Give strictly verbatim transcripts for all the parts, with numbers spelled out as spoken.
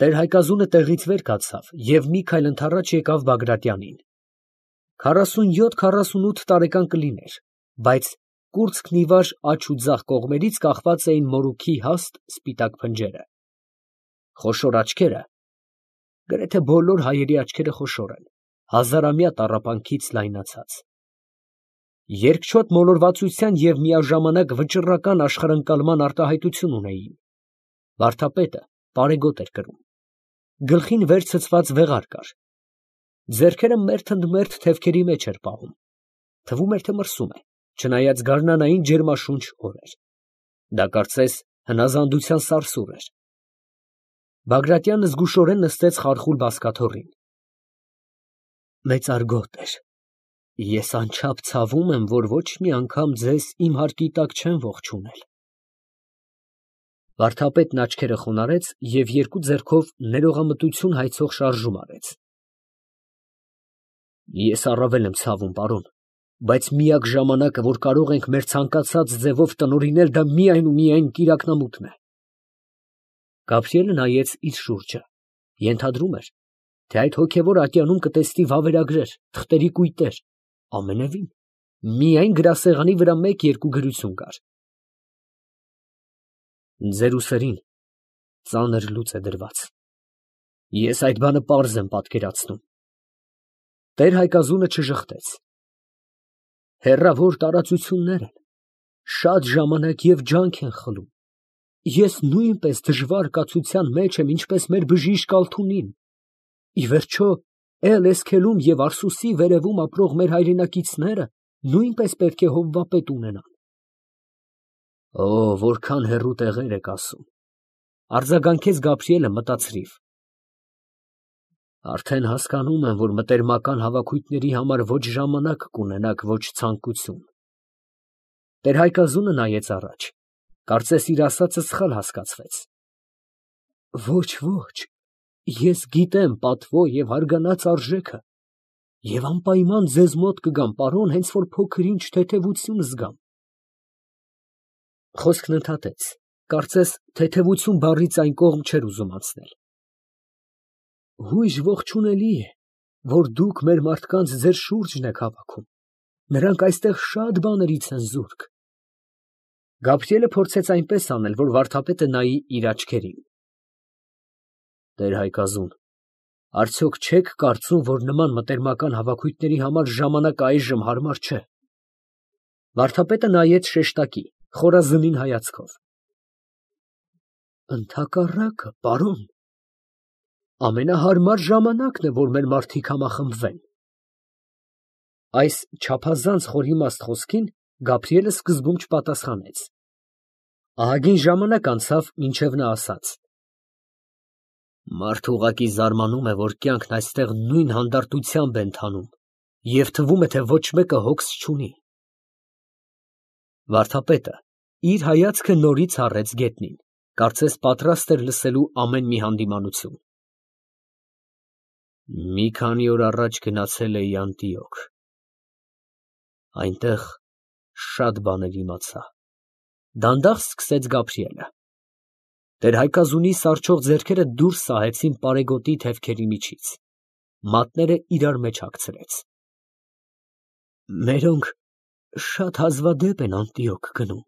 Տեր֊Հայկազունը տեղից վեր կացավ և մի քայլ ընդառաջ եկավ Բագրատյանին. քառասունյոթ քառասունութ տարեկան կլիներ, բայց կուրծքն ի վար աջ ու ձախ կողմերից կախված էին մորուքի հաստ սպիտակ փնջերը, խոշոր աչքերը (գրեթե բոլոր հայերի աչքերը խոշոր են) հազարամյա տառապանքից լայնացած, երկչոտ մոլորվածության և միաժամանակ վճռական աշխարհընկալման արտահայտություն ունեին. վարդապետը պարեգոտ էր կրում, գլխին վեր ցցված վեղար կար, ձեռքերը մերթ ընդ մերթ թևքերի մեջ էր պահում, թվում էր, թե մրսում է, չնայած գարնանային ջերմաշունչ օր էր. դա կարծես հնազանդության սարսուռ էր։ Բագրատյանը զգուշորեն նստեց խարխուլ բազկաթոռին։ Մեծարգոտ էր, ես անչափ ցավում եմ, որ ոչ մի անգամ ձեզ իմ հարկի տակ չեմ ողջունել։ Վարդապետն աչքերը խոնարհեց և երկու ձեռքով ներողամտություն հայցող շարժում արեց։ Ես առավել եմ ցավում, պարոն, բայց միակ ժամանակը, որ կարող ենք մեր ցանկացած ձևով տնօրինել, դա միայն ու միայն կիրակնամութն է։ Գաբրիելը նայեց իր շուրջը, ենթադրում էր, թե այդ հոգևոր ատյանում կտեսնի վավերագրեր, թղթերի կույտեր, ամենևին, միայն գրասեղանի վրա մեկ֊երկու գրություն կար։ Ձեր ուսերին ծանր լուծ է դրված։ Ես այդ բանը պարզ եմ պատկերացնում։ Տեր֊Հայկազունը չժխտեց։ Հեռավոր տարածություններ են, շատ ժամանակ և ջանք են խլում։ Ես նույնպես դժվար կացության մեջ եմ, ինչպես մեր բժիշկ Ալթունին։ Ի վերջո, Էլ֊Էսքելում և Արսուսի վերևում ապրող մեր հայրենակիցները նույնպես պետք է հովվապետ ունենան։ Օ, որքան հեռու տեղեր եք ասում, արձագանքեց Գաբրիելը մտածրիվ։ Արդեն հասկանում եմ, որ մտերմական հավաքույթների համար ոչ ժամանակ կունենաք, ոչ ցանկություն։ Տեր֊Հայկազունը նայեց առաջ, կարծես իր ասածը սխալ հասկացվեց։ Ոչ, ոչ, ես գիտեմ պատվո և հարգանած արժեքը և անպայման ձեզ մոտ կգամ, պարոն, հենց որ փոքր֊ինչ թեթևություն զգամ։ Խոսքն ընդհատեց, կարծես թեթևություն բառից այն կողմ չէր ուզում անցնել։ Հույժ ողջունելի է, որ դուք մեր մարդկանց ձեր շուրջն եք հավաքում, նրանք այստեղ շատ բաներից են զուրկ։ Գաբրիելը փորձեց այնպես անել, որ վարդապետը նայի իր աչքերին։ Տեր֊Հայկազուն, արդյոք չեք կարծում, որ նման մտերմական հավաքույթների համար ժամանակը այժմ հարմար չէ։ Վարդապետը նայեց շեշտակի, խորազնին հայացքով։ Ընդհակառակը, պարոն, ամենահարմար ժամանակն է, որ մեր մարդիկ համախմբվեն։ Այս չափազանց խորիմաստ խոսքին Գաբրիելը սկզբում չպատասխանեց։ Ահագին ժամանակ անցավ, մինչև նա ասաց. Մարդ ուղղակի զարմանում է, որ կյանքն այստեղ նույն հանդարտությամբ է ընթանում, և թվում է, թե ոչ մեկը հոգս չունի։ Վարդապետը իր հայացքը նորից հառեց գետնին, կարծես պատրաստ էր լսելու ամեն մի հանդիմանություն։ Մի քանի օր առաջ գնացել էի Անտիոք։ Այնտեղ շատ բաներ իմացա։ Դանդաղ սկսեց Գաբրիելը։ Տեր֊Հայկազունի սառչող ձեռքերը դուրս սահեցին պարեգոտի թևքերի միջից, մատները իրար մեջ հագցրեց։ Մերոնք շատ հազվադեպ են Անտիոք գնում,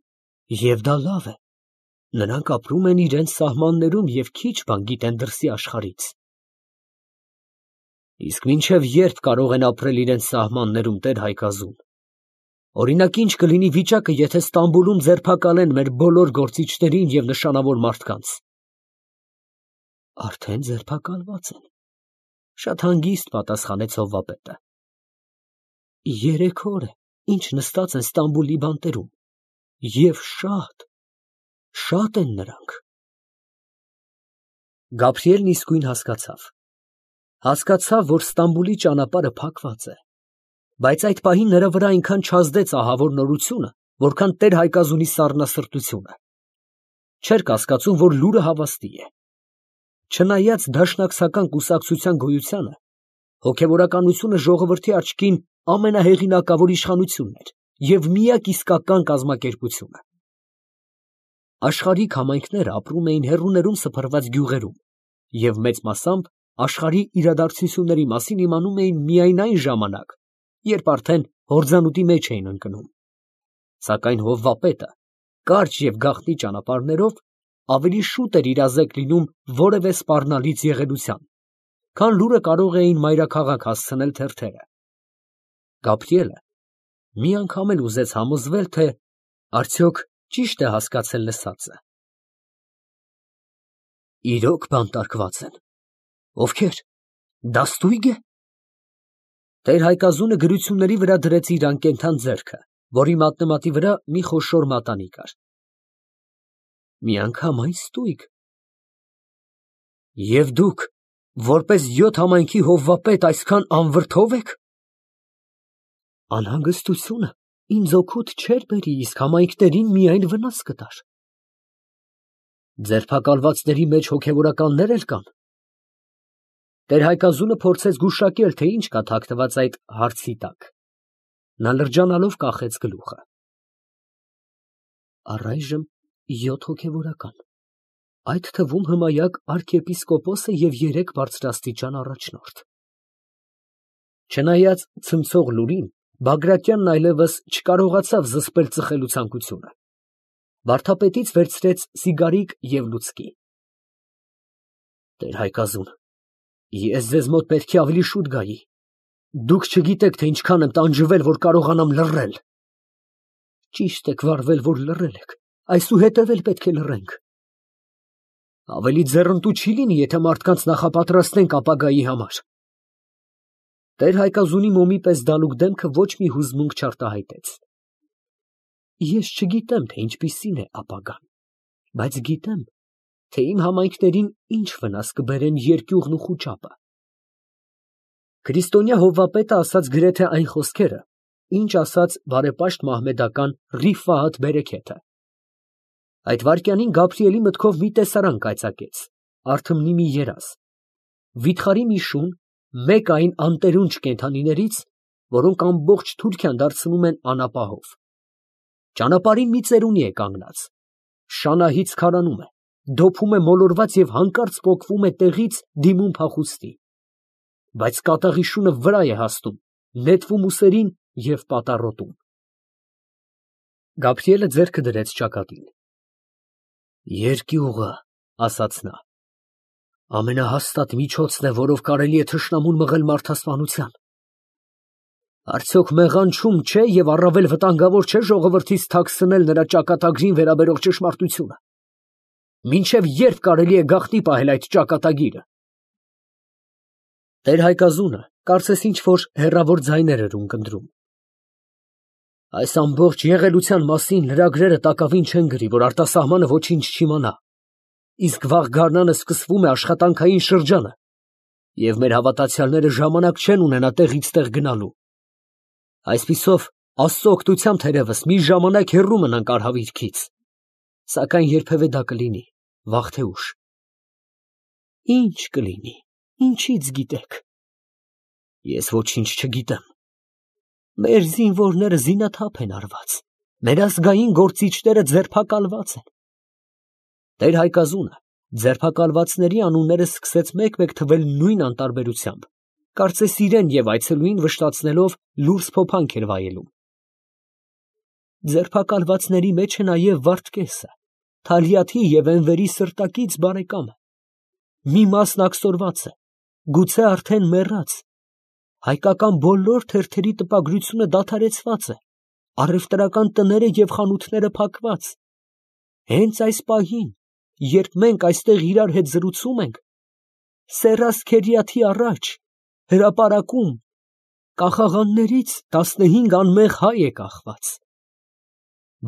և դա լավ է։ Նրանք ապրում են իրենց սահմաններում և քիչ բան գիտեն դրսի աշխարհից։ Իսկ մինչև երբ կարող են ապրել իրենց սահմաններում, Տեր֊Հայկազուն։ Օրինակ, ինչ կլինի վիճակը, եթե Ստամբուլում ձերբակալեն մեր բոլոր գործիչներին և նշանավոր մարդկանց։ Արդեն ձերբակալված են, շատ հանգիստ պատասխանեց հովվապետը։ Երեք օր է, ինչ նստած են Ստամբուլի բանտերում, և շատ, շատ են նրանք։ Գաբրիելն իսկույն հասկացավ։ Հասկացավ, որ Ստամբուլի ճանապարհը փակված է, բայց այդ պահին նրա վրա այնքան չազդեց ահավոր նորությունը, որքան Տեր֊Հայկազունի սառնասրտությունը։ Չէր կասկածում, որ լուրը հավաստի է։ Չնայած դաշնակցական կուսակցության գոյությանը, հոգևորականությունը ժողովրդի աչքին ամենահեղինակավոր իշխանությունն էր և միակ իսկական կազմակերպությունը։ Աշխարհիկ համայնքները ապրում էին հեռուներում սփռված գյուղերում և մեծ մասամբ աշխարհի իրադարձությունների մասին իմանում էին միայն այն ժամանակ, երբ արդեն հորձանուտի մեջ էին ընկնում, սակայն հովվապետը կարճ և գաղտնի ճանապարհներով ավելի շուտ էր իրազեկ լինում որևէ սպառնալից եղելության, քան լուրը կարող էին մայրաքաղաք հասցնել թերթերը։ Գաբրիելը մի անգամ էլ ուզեց համոզվել, թե արդյոք ճի՞շտ է հասկացել լսածը։ Իրո՞ք բանտարկված են։ Ովքե՞ր։ Դա ստույգ է։ Տեր֊Հայկազունը գրությունների վրա դրեց իր անկենդան ձեռքը, որի մատնեմատի վրա մի խոշոր մատանի կար։ Միանգամայն ստույգ։ Եվ դուք, որպես յոթ համայնքի հովվապետ, այսքան անվրդո՞վ եք։ Անհանգստությունը ինձ օգուտ չէր բերի, իսկ համայնքներին միայն վնաս կտար։ Ձերբակալվածների մեջ հոգևորականնե՞ր էլ կան։ Տեր֊Հայկազունը փորձեց գուշակել, թե ինչ կա թաքնված այդ հարցի տակ։ Նա լրջանալով կախեց գլուխը։ Առայժմ յոթ հոգևորական, այդ թվում հմայակ արքեպիսկոպոսը և երեք բարձրաստիճան առաջնորդ։ Չնայած ցնցող լուրին, Բագրատյանն այլևս չկարողացավ զսպել ծխելու ցանկությունը, վարդապետից վերցրեց սիգարիկ և լուցկի։ Տեր֊Հայկազուն, ես ձեզ մոտ պետք է ավելի շուտ գայի, դուք չգիտեք, թե ինչքան եմ տանջվել, որ կարողանամ լռել։ Ճիշտ եք վարվել, որ լռել եք, այսուհետև էլ պետք է լռենք։ Ավելի ձեռնտու չի լինի, եթե մարդկանց նախապատրաստենք ապագայի համար։ Տեր֊Հայկազունի մոմի պես դալուկ դեմքը ոչ մի հուզմունք չարտահայտեց։ Ես չգիտեմ, թե ինչպիսին է ապագան, բայց գիտեմ, թե իմ համայնքներին ինչ վնաս կբերեն երկյուղն ու խուճապը։ Քրիստոնյա հովվապետը ասաց գրեթե այն խոսքերը, ինչ ասաց բարեպաշտ մահմեդական Ռիֆահաթ Բերեքեթը։ Այդ վայրկյանին Գաբրիելի մտքով մի տեսարան կայծակեց, արթմնի մի երազ, վիթխարի մի շուն, մեկ այն անտերունջ կենդանիներից, որոնք ամբողջ Թուրքիան դարձնում են անապահով։ Ճանապարհին մի ծերունի է կանգնած, շանահից քարանում է, դոփում է մոլորված և հանկարծ պոկվում է տեղից դիմում փախուստի, բայց կատաղի շունը վրա է հասնում, նետվում ուսերին և պատառոտում։ Գաբրիելը ձեռքը դրեց ճակատին։ Երկյուղը, ասաց նա, ամենահաստատ միջոցն է, որով կարելի է թշնամուն մղել մարդասպանության։ Արդյոք մեղանչում չէ և առավել վտանգավոր չէ ժողովրդից թաքցնել նրա ճակատագրին վերաբերող ճշմարտությունը։ Մինչև ե՞րբ կարելի է գաղտնի պահել այդ ճակատագիրը։ Տեր֊Հայկազունը կարծես ինչ֊որ հեռավոր ձայներ էր ունկնդրում։ Այս ամբողջ եղելության մասին լրագրերը տակավին չեն գրի, որ արտասահմանը ոչինչ չիմանա, իսկ վաղ գարնանը սկսվում է աշխատանքային շրջանը, և մեր հավատացյալները ժամանակ չեն ունենա տեղից տեղ գնալու։ Այսպիսով, Աստծո օգնությամբ թերևս մի ժամանակ հեռու մնանք արհավիրքից, սակայն երբևէ դա կլինի, վաղ թե ուշ։ Ինչ կլինի, ինչից գիտեք։ Ես ոչինչ չգիտեմ։ Մեր զինվորները զինաթափ են արված, մեր ազգային գործիչները ձերբակալված են։ Տեր֊Հայկազունը ձերբակալվածների անունները սկսեց մեկ֊մեկ թվել նույն անտարբերությամբ, կարծես իրեն և այցելուին վշտացնելով լուրջ փոփանք էր վայելում։ Ձերբակալվածների մեջ է նաև Վարդգեսը, Թալիաթի և Էնվերի սրտակից բարեկամը։ Մի մասն աքսորված է, գուցե արդեն մեռած։ Հայկական բոլոր թերթերի տպագրությունը դադարեցված է, առևտրական տները և խանութները փակված։ Հենց այս պահին, երբ մենք այստեղ իրար հետ զրուցում ենք, Սերրաս-Քերիաթի առաջ, հրապարակում, կախաղաններից տասնհինգ անմեղ հայ է կախված։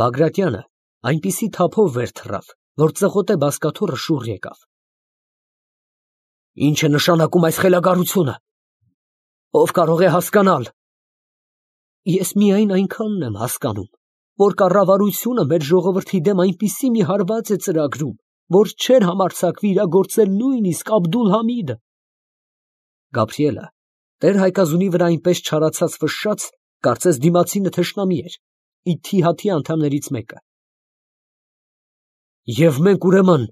Բագրատյանը այնպիսի թափով վեր թռավ, որ ծղոտե բազկաթոռը շուռ եկավ։ Ի՞նչ է նշանակում այս խելագարությունը։ Ո՞վ կարող է հասկանալ։ Ես միայն այնքանն եմ հասկանում, որ կառավարությունը մեր ժողովրդի դեմ այնպիսի մի հարված է ծրագրում, որ չէր համարձակվի իրագործել նույնիսկ Աբդուլ֊Համիդը։ Գաբրիելը Տեր֊Հայկազունի վրա այնպես չարացած ֆշշաց, կարծես դիմացինը թշնամի էր, Իթիհադի անդամներից մեկը։ Եվ մենք ուրեմն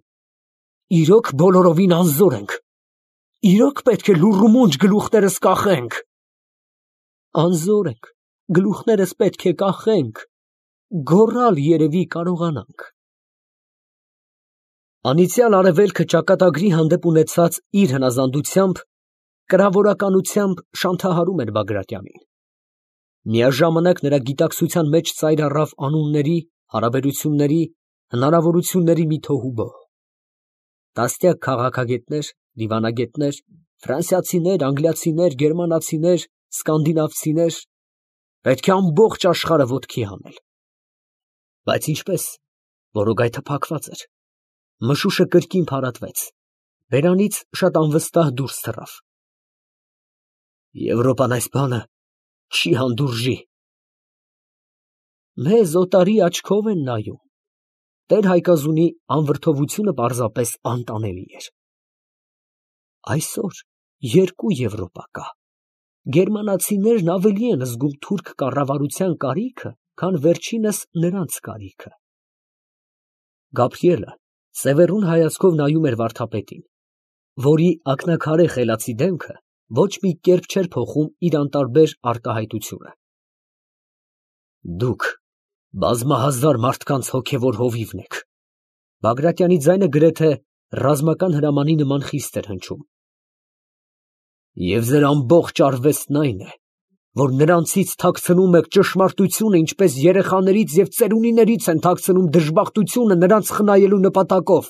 իրոք բոլորովին անզոր ենք։ Իրոք պետք է լուռումունջ գլուխներս կախենք։ Անզոր ենք, գլուխներս պետք է կախենք, գոռալ երևի կարողանանք։ Անիծյալ արևելքը ճակատագրի հանդեպ ունեցած իր հնազանդությամբ, կրավորականությամբ շանթահարում էր Բագրատյանին։ Միաժամանակ նրա գիտակցության մեջ ծայր առավ անունների, հարաբերությունների, հնարավորությունների մի թոհուբոհ։ Տասնյակ քաղաքագետներ, դիվանագետներ, ֆրանսիացիներ, անգլիացիներ, գերմանացիներ, սկանդինավցիներ, պետք է ամբողջ աշխարհը ոտքի հանել։ Բայց ինչպես, որոգայթը փակված էր։ Մշուշը կրկին փարատվեց, բերանից շատ անվստահ դուրս թռավ։ Եվրոպան այս բանը չի հանդուրժի։ Մեզ օտարի աչքով են նայում։ Տեր Հայկազունի անվրդովությունը պարզապես անտանելի էր։ Այսօր երկու Եվրոպա կա։ Գերմանացիներն ավելի են զգում թուրք կառավարության կարիքը, քան վերջինս նրանց կարիքը։ Գաբրիելը սևեռուն հայացքով նայում էր վարդապետին, որի ակնաքարե խելացի դեմքը ոչ մի կերպ չէր փոխում իր անտարբեր արտահայտությունը։ Դուք բազմահազար մարդկանց հոգևոր հովիվն եք։ Բագրատյանի ձայնը գրեթե ռազմական հրամանի նման խիստ էր հնչում։ Եվ ձեր ամբողջ արվեստն այն է, որ նրանցից թաքցնում եք ճշմարտությունը, ինչպես երեխաներից և ծերունիներից են թաքցնում դժբախտությունը նրանց խնայելու նպատակով։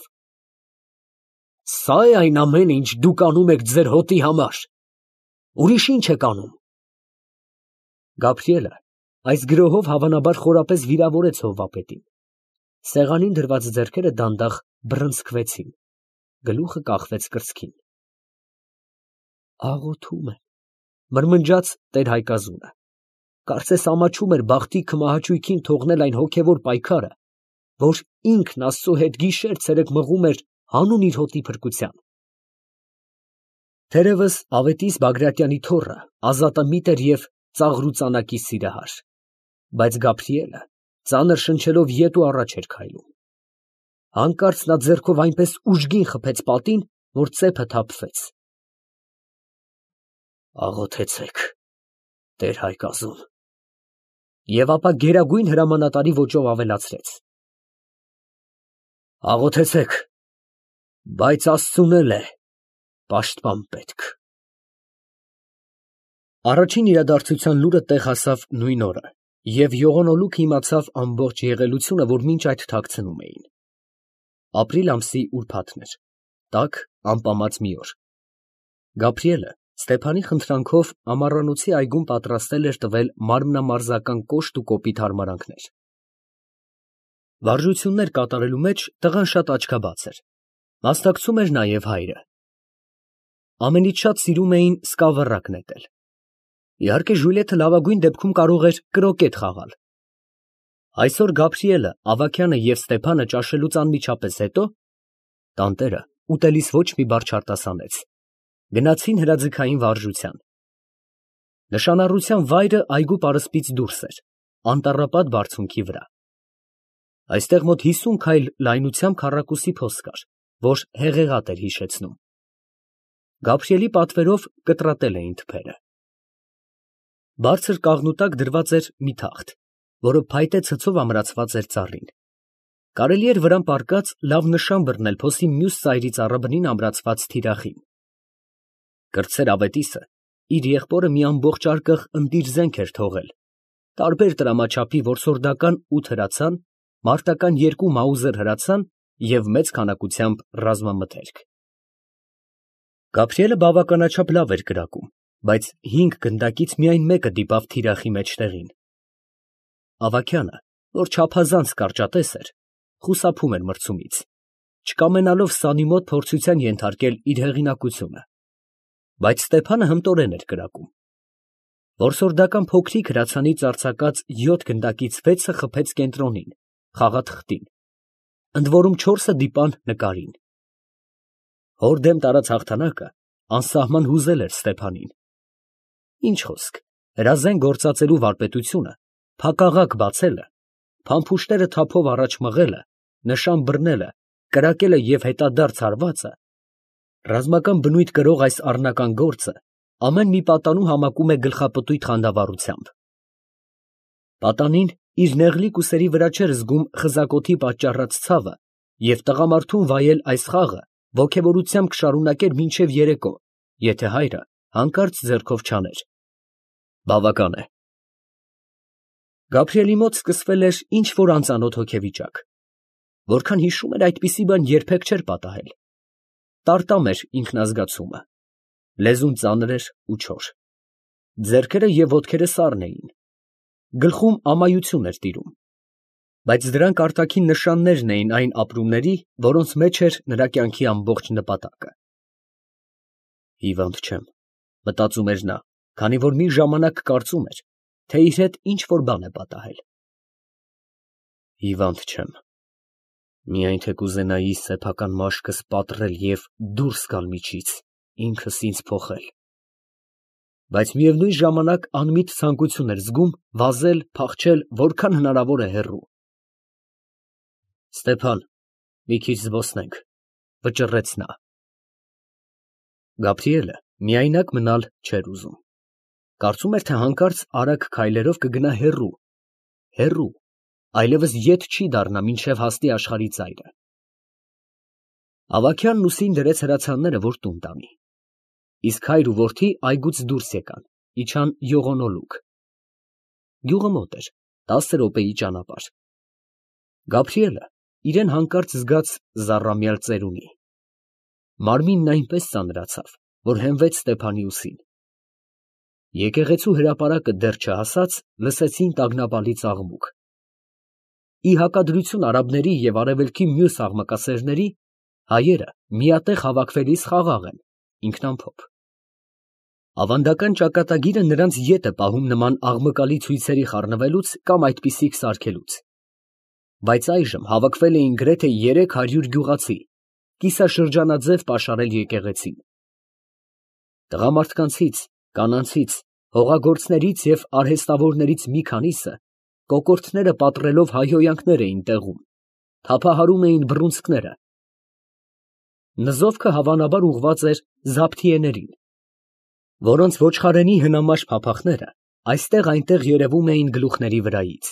Սա է այն ամենը, ինչ դուք անում եք ձեր հոտի համար։ Ուրիշ ինչ եք անում։ Գաբրիելը այս գրոհով հավանաբար խորապես վիրավորեց հովվապետին։ Սեղանին դրված ձեռքերը դանդաղ բռնցքվեցին, գլուխը կախվեց կրծքին։ Աղոթում եմ, մրմնջաց տեր Հայկազունը, կարծես ամաչում էր բախտի քմահաճույքին թողնել այն հոգևոր պայքարը, որ ինքն Աստծո հետ գիշեր֊ցերեկ մղում էր հանուն իր հոտի փրկության։ Թերևս ավետիս Բագրատյանի թոռը ազատամիտ էր և ծաղրուծանակի սիրահար, բայց Գաբրիելը ծանր շնչելով ետ ու առաջ էր քայլում։ Հանկարծ նա ձեռքով այնպես ուժգին խփեց պատին, որ ծեփը թափվեց։ Աղոթեցեք, տեր Հայկազուն։ Եվ ապա գերագույն հրամանատարի ոճով ավելացրեց. Աղոթեցեք, բայց Աստծուն էլ է պաշտպան պետք։ Առաջին իրադարձության լուրը տեղ հասավ նույն օրը, և յողոնոլուքը իմացավ ամբողջ եղելությունը, որ մինչ այդ թաքցնում էին։ Ապրիլ ամսի ուրբաթն էր, տաք ամպամած մի օր։ Գաբրիելը Ստեփանի խնդրանքով ամառանոցի այգում պատրաստել էր տվել մարմնամարզական կոշտ ու կոպիտ հարմարանքներ։ Վարժություններ կատարելու մեջ տղան շատ աչքաբաց էր, մասնակցում էր նաև հայրը։ Ամենից շատ սիրում էին սկավառակ նետել։ Իհարկե ժուլիետը լավագույն դեպքում կարող էր կրոկետ խաղալ։ Այսօր Գաբրիելը, Ավագյանը և Ստեփանը ճաշելուց անմիջապես հետո տանտերը ուտելիս ոչ մի բառ չարտասանեց, գնացին հրաձգային վարժության։ Նշանառության վայրը այգու պարսպից դուրս էր, անտառապատ բարձունքի վրա։ Այստեղ մոտ հիսուն քայլ լայնությամբ քառակուսի փոս կար, որ հեղեղատ էր հիշեցնում։ Գաբրիելի պատվերով կտրատել էին թփերը։ Բարձր կաղնու տակ դրված էր մի թախտ, որը փայտե ցցով ամրացված էր ծառին։ Կարելի էր վրան պառկած լավ նշան բռնել փոսի մյուս ծայրի ծառաբնին ամրացված թիրախին։ Կրտսեր ավետիսը իր եղբորը մի ամբողջ արկղ ընտիր զենք էր թողել, տարբեր տրամաչափի որսորդական ութ հրացան, մարտական երկու մաուզեր հրացան և մեծ քանակությամբ ռազմամթերք։ Գաբրիելը բավականաչափ լավ էր կրակում, բայց հինգ գնդակից միայն մեկը դիպավ թիրախի մեջտեղին։ Ավագյանը, որ չափազանց կարճատես էր, խուսափում էր մրցումից, չկամենալով սանի մոտ փորձության ենթարկել իր հեղինակությունը, բայց Ստեփանը հմտորեն էր կրակում։ Որսորդական փոքրիկ հրացանից արձակած յոթ գնդակից վեցը խփեց կենտրոնին, խաղաթղթին, ընդ որում չորսը դիպան նկարին։ Հոր դեմ տարած հաղթանակը անսահման հուզել էր Ստեփանին։ Ինչ խոսք, հրազեն գործածելու վարպետությունը, փակաղակ բացելը, փամփուշտները թափով առաջ մղելը, նշան բռնելը, կրակելը և հետադարձ հարվածը Ռազմական բնույթ կրող այս առնական գործը ամեն մի պատանու համակում է գլխապտույտ խանդավառությամբ։ Պատանին իր նեղլիկ ուսերի վրա չէր զգում խզակոթի պատճառած ցավը և տղամարդուն վայել այս խաղը ոգևորությամբ կշարունակեր մինչև երեկո, եթե հայրը հանկարծ ձեռքով չաներ։ Բավական է։ Գաբրիելի մոտ սկսվել էր ինչ֊որ անծանոթ հոգեվիճակ։ Որքան հիշում էր, այդպիսի բան երբեք չէր պատահել։ Տարտամ էր ինքնազգացումը, լեզուն ծանր էր ու չոր, ձեռքերը և ոտքերը սառն էին, գլխում ամայություն էր տիրում, բայց դրանք արտաքին նշաններն էին այն ապրումների, որոնց մեջ էր նրա կյանքի ամբողջ նպատակը։ Հիվանդ չեմ, մտածում էր նա, քանի որ մի ժամանակ կարծում էր, թե իր հետ ինչ֊որ բան է պատահել։ Հիվանդ չեմ, միայն թե կուզենայի սեփական մաշկս պատռել և դուրս գալ միջից, ինքս ինձ փոխել, բայց միևնույն ժամանակ անմիտ ցանկություն էր զգում վազել, փախչել որքան հնարավոր է հեռու։ Ստեփան, մի քիչ զբոսնենք, ֊ վճռեց նա։ Գաբրիելը միայնակ մնալ չէր ուզում, կարծում էր, թե հանկարծ արագ քայլերով կգնա հեռու, հեռու, այլևս ետ չի դառնա, մինչև հասնի աշխարհի ծայրը։ Ավագյանն ուսին դրեց հրացանները, որ տուն տանի, իսկ հայր ու որդի այգուց դուրս եկան, իջան յողոնոլուկ։ Գյուղը մոտ էր, տասը րոպեի ճանապարհ։ Գաբրիելը իրան հանկարծ զգաց զառամյալ ծերունի։ Մարմինն այնպես ծանրացավ, որ հենվեց Ստեփանի ուսին։ Եկեղեցու հրապարակը դեռ չհասած, լսեցին տագնապալից աղմուկ։ Ի հակադրություն արաբների և արևելքի մյուս աղմկասերների, հայերը միատեղ հավաքվելիս խաղաղ են, ինքնամփոփ։ Ավանդական ճակատագիրը նրանց ետ է պահում նման աղմկալի ցույցերի խառնվելուց կամ այդպիսիք սարքելուց։ Բայց այժմ հավաքվել էին գրեթե երեք հարյուր գյուղացի, կիսաշրջանաձև պաշարել եկեղեցին։ Տղամարդկանցից, կանանցից, հողագործներից և արհեստավորներից մի քանիսը կոկորդները պատռելով հայհոյանքներ էին տեղում, թափահարում էին բռունցքները։ Նզովքը հավանաբար ուղղված էր զաբթիեներին, որոնց ոչխարենի հնամաշ փափախները այստեղ֊այնտեղ երևում էին գլուխների վրայից։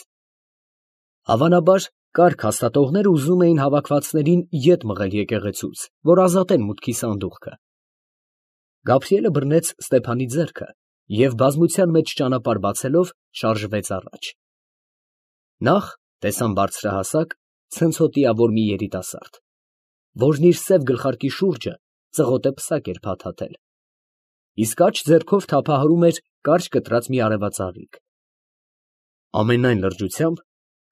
Հավանաբար կառք հաստատողները ուզում էին հավաքվածներին ետ մղել եկեղեցուց, որ ազատեն մուտքի սանդուղքը։ Գաբրիելը բռնեց Ստեփանի ձեռքը և բազմության մեջ ճանապարհ բացելով շարժվեց առաջ։ Նախ տեսան բարձրահասակ, ցնցոտիավոր մի երիտասարդ, որն իր սև գլխարկի շուրջը ծղոտե պսակ էր փաթաթել, իսկ աջ ձեռքով թափահարում էր կարճ կտրած մի արևածաղիկ։ Ամենայն լրջությամբ,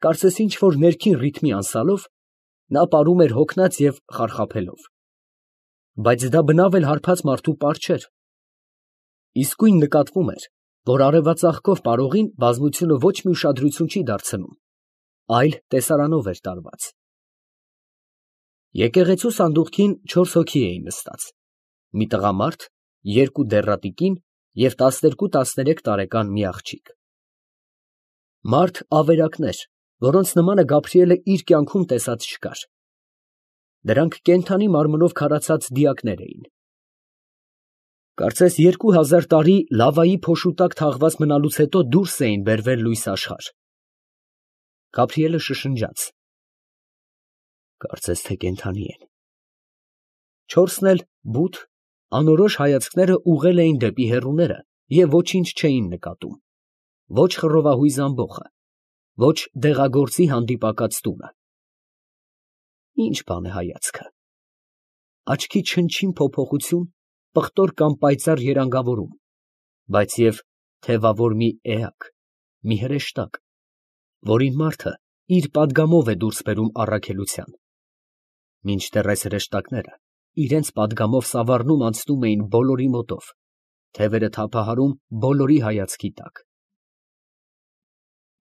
կարծես ինչ֊որ ներքին ռիթմի անսալով, նա պարում էր հոգնած և խարխափելով։ Բայց դա բնավ էլ հարբած մարդու պար չէր։ Իսկույն նկատվում էր, որ արևածաղկով պարողին բազմությունը ոչ մի ուշադրություն չի դարձնում, այլ տեսարանով էր տարված։ Եկեղեցու սանդուղքին չորս հոգի էին նստած, մի տղամարդ, երկու դեռատի կին և տասներկու֊տասներեք տարեկան մի աղջիկ։ Մարդ ավերակներ, որոնց նմանը Գաբրիելը իր կյանքում տեսած չկար։ Դրանք կենդանի մարմնով քարացած դիակներ էին։ Կարծես երկու հազար տարի լավայի փոշու տակ թաղված մնալուց հետո դուրս էին բերվել լույս աշխարհ։ Գաբրիելը շշնջաց. կարծես թե կենդանի են։ Չորսն էլ բութ, անորոշ հայացքները ուղղել էին դեպի հեռուները և ոչինչ չէին նկատում, ոչ խռովահույզ ամբոխը, ոչ դեղագործի հանդիպակաց տունը։ Ի՞նչ բան է հայացքը։ Աչքի չնչին փոփոխություն, պղտոր կամ պայծառ երանգավորում, բայց և թևավոր մի էակ, մի հրեշտակ, որին մարդը իր պատգամով է դուրս բերում առաքելության, մինչդեռ այս հրեշտակները իրենց պատգամով սավառնում անցնում էին բոլորի մոտով, թևերը թափահարում բոլորի հայացքի տակ։